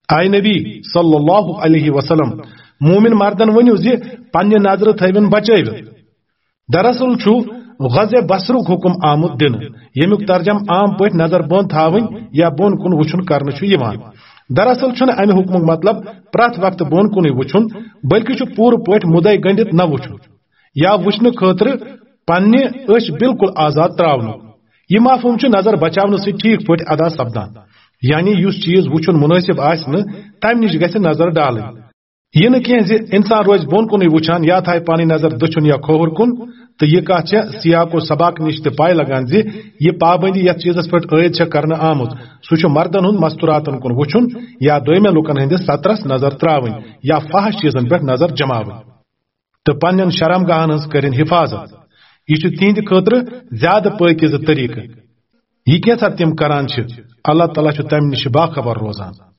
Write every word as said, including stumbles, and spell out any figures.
A نبی صلی اللہ علیہ وسلم، مومن مردن ؤنِو زِ پننہِ نظرٕ تھٲوِن بچٲوِتھ۔ دراصل چھُ غزِ بصرُک حکم آمُت دِنہٕ، ییٚمیُک ترجمہٕ عام پٲٹھۍ نظر بۄن تھاوٕنۍ یا بۄن کُن وٕچھُن کرنہٕ چھُ یِوان۔ دراصل چھُنہٕ امہِ حکمُک مطلب پرٛٮ۪تھ وقتہٕ بۄن کُنُے وٕچھُن، بلکہِ چھُ پوٗرٕ پٲٹھۍ مُدعے گٔنٛڈِتھ نہ وٕچھُن، یا وٕچھنہٕ خٲطرٕ پننہِ أچھ بالکل آزاد تراونُک۔ یہِ مفہوم چھُ نظر بچاونہٕ سۭتۍ ٹھیک پٲٹھۍ ادا سپدان، یعنی یُس چیز وٕچھُن مناسب آسہِ نہٕ، تمہِ نِش گژھِ نظر ڈالٕنۍ۔ یہِ نہٕ کینٛہہ زِ انسان روزِ بۄن کُنُے وٕچھان یا تھایہِ پنٕنۍ نظر دٔچھُن یا کھووُر کُن۔ تہٕ یہِ کتھ چھےٚ سیاق و سباق نِش تہِ پاے لگان زِ یہِ پابندی یتھ چیزس پٮ۪ٹھ عٲید چھےٚ کرنہٕ آمٕژ، سُہ چھُ مردن ہُنٛد مستوراتن کُن وٕچھُن یا دویمٮ۪ن لوٗکن ہٕنٛدِس سترس نظر تراوٕنۍ یا فحش چیزن پٮ۪ٹھ نظر جماوٕنۍ۔ تہٕ پننٮ۪ن شرمگاہن ہٕنٛز کٔرِن حفاظت۔ یہِ چھُ تِہنٛدِ خٲطرٕ زیادٕ پٲکیزٕ طریقہٕ۔ یہِ کینٛژھا تِم کران چھِ، اللہ تعالیٰ چھُ تمہِ نِش باخبر روزان۔